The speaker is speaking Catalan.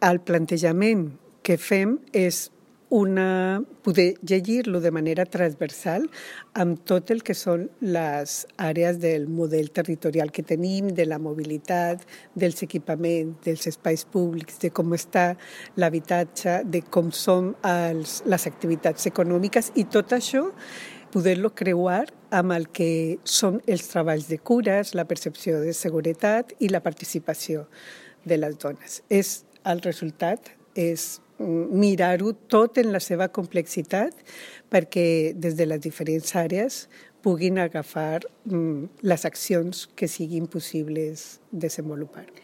El plantejament que fem és poder llegir-lo de manera transversal amb tot el que són les àrees del model territorial que tenim, de la mobilitat, dels equipaments, dels espais públics, de com està l'habitatge, de com són les activitats econòmiques i tot això poder-lo creuar amb el que són els treballs de cures, la percepció de seguretat i la participació de les dones. El resultat és mirar-ho tot en la seva complexitat perquè des de les diferents àrees puguin agafar les accions que siguin possibles desenvolupar.